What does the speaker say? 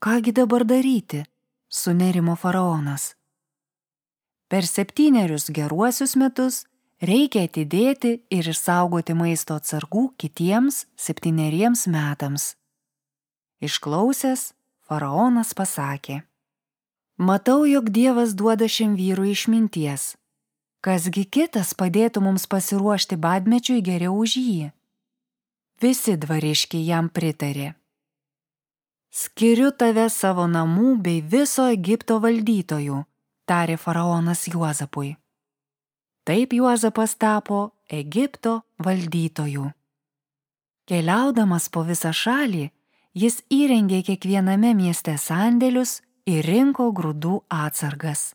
Kągi dabar daryti? Sunerimo faraonas. Per 7 geruosius metus reikia atidėti ir išsaugoti maisto atsargų kitiems 7 metams. Išklausęs, faraonas pasakė: Matau, jog Dievas duoda šiam vyrui išminties. Kasgi kitas padėtų mums pasiruošti badmečiui geriau už jį? Visi dvariškiai jam pritarė. Skiriu tave savo namų bei viso Egipto valdytojų, tarė faraonas Juozapui. Taip Juozapas tapo Egipto valdytoju. Keliaudamas po visą šalį, jis įrengė kiekviename mieste sandėlius ir rinko grūdų atsargas.